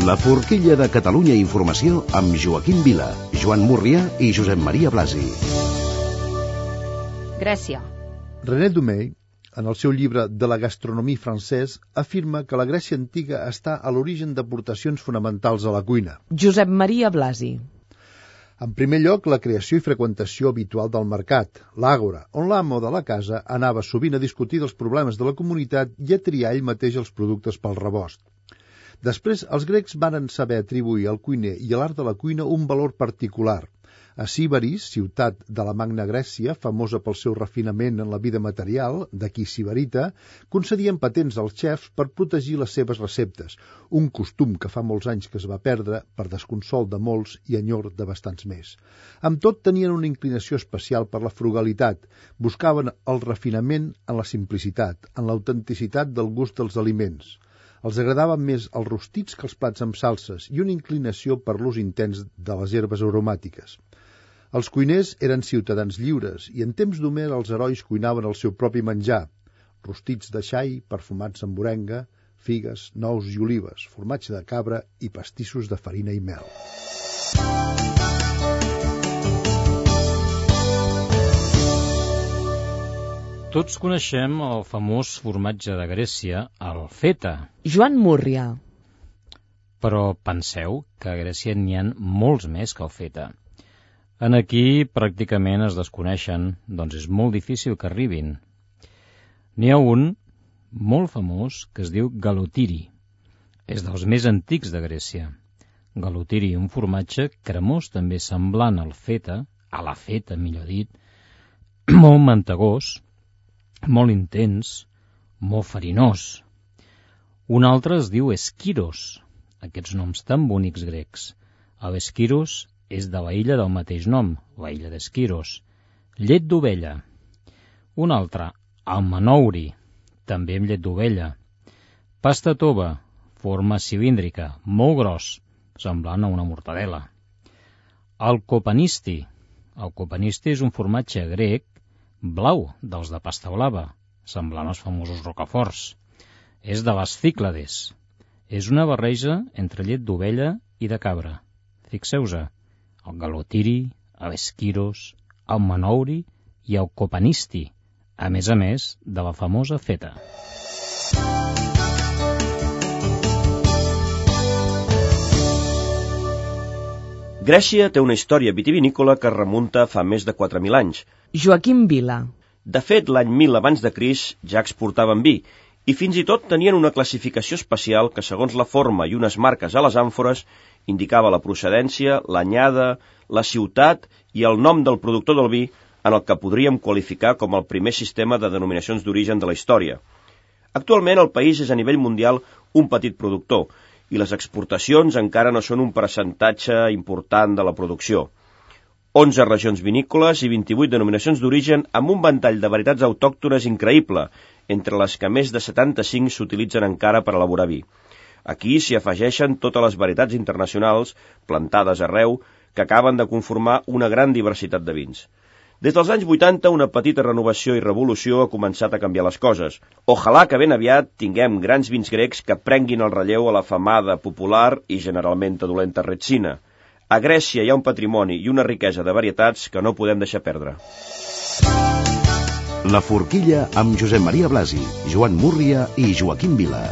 La forquilla de Catalunya Informació amb Joaquim Vila, Joan Múrria i Josep Maria Blasi. Grècia. René Dumais, en el seu llibre De la gastronomie française, afirma que la Grècia antiga està a l'origen d'aportacions fonamentals a la cuina. Josep Maria Blasi. En primer lloc, la creació i freqüentació habitual del mercat, l'àgora, on l'amo de la casa anava sovint a discutir dels problemes de la comunitat i a triar ell mateix els productes pel rebost. Després, els grecs varen saber atribuir al cuiner i a l'art de la cuina un valor particular. A Sibaris, ciutat de la Magna Grècia, famosa pel seu refinament en la vida material, d'aquí Sibarita, concedien patents als xefs per protegir les seves receptes, un costum que fa molts anys que es va perdre per desconsol de molts i enyor de bastants més. Amb tot, tenien una inclinació especial per la frugalitat, buscaven el refinament en la simplicitat, en l'autenticitat del gust dels aliments. Els agradaven més els rostits que els plats amb salses i una inclinació per l'ús intens de les herbes aromàtiques. Els cuiners eren ciutadans lliures i en temps d'Homer els herois cuinaven el seu propi menjar, rostits de xai perfumats amb morenga, figues, nous i olives, formatge de cabra i pastissos de farina i mel. Tots coneixem el famós formatge de Grècia, el feta. Joan Múrria. Però penseu que a Grècia n'hi ha molts més que el feta. En aquí pràcticament es desconeixen, doncs és molt difícil que arribin. N'hi ha un molt famós que es diu galotiri. És dels més antics de Grècia. Galotiri, un formatge cremós també semblant al feta, a la feta millor dit, molt mantegós, molt intens, molt farinós. Un altre es diu esquiros, aquests noms tan bonics grecs. L'esquiros és de la illa del mateix nom, la illa d'Esquiros. Llet d'ovella. Un altre, el manouri, també amb llet d'ovella. Pasta tova, forma cilíndrica, molt gros, semblant a una mortadela. El copanisti. El copanisti és un formatge grec blau, dels de pasta blava, semblant als famosos rocaforts. És de les Cíclades. És una barreja entre llet d'ovella i de cabra. Fixeu-se, el galotiri, l'esquiros, el manouri i el copanisti, a més de la famosa feta. Grècia té una història vitivinícola que es remunta fa més de 4.000 anys. Joaquim Vila. De fet, l'any 1000 abans de Crist ja exportaven vi, i fins i tot tenien una classificació especial que, segons la forma i unes marques a les àmfores, indicava la procedència, l'anyada, la ciutat i el nom del productor del vi, en el que podríem qualificar com el primer sistema de denominacions d'origen de la història. Actualment el país és a nivell mundial un petit productor, i les exportacions encara no són un percentatge important de la producció. 11 regions vinícoles i 28 denominacions d'origen amb un ventall de varietats autòctones increïble, entre les que més de 75 s'utilitzen encara per elaborar vi. Aquí s'hi afegeixen totes les varietats internacionals, plantades arreu, que acaben de conformar una gran diversitat de vins. Des dels anys 80, una petita renovació i revolució ha començat a canviar les coses. Ojalà que ben aviat tinguem grans vins grecs que prenguin el relleu a la famada, popular i generalment adolenta Retsina. A Grècia hi ha un patrimoni i una riquesa de varietats que no podem deixar perdre. La forquilla amb Josep Maria Blasi, Joan Múrria i Joaquim Vila.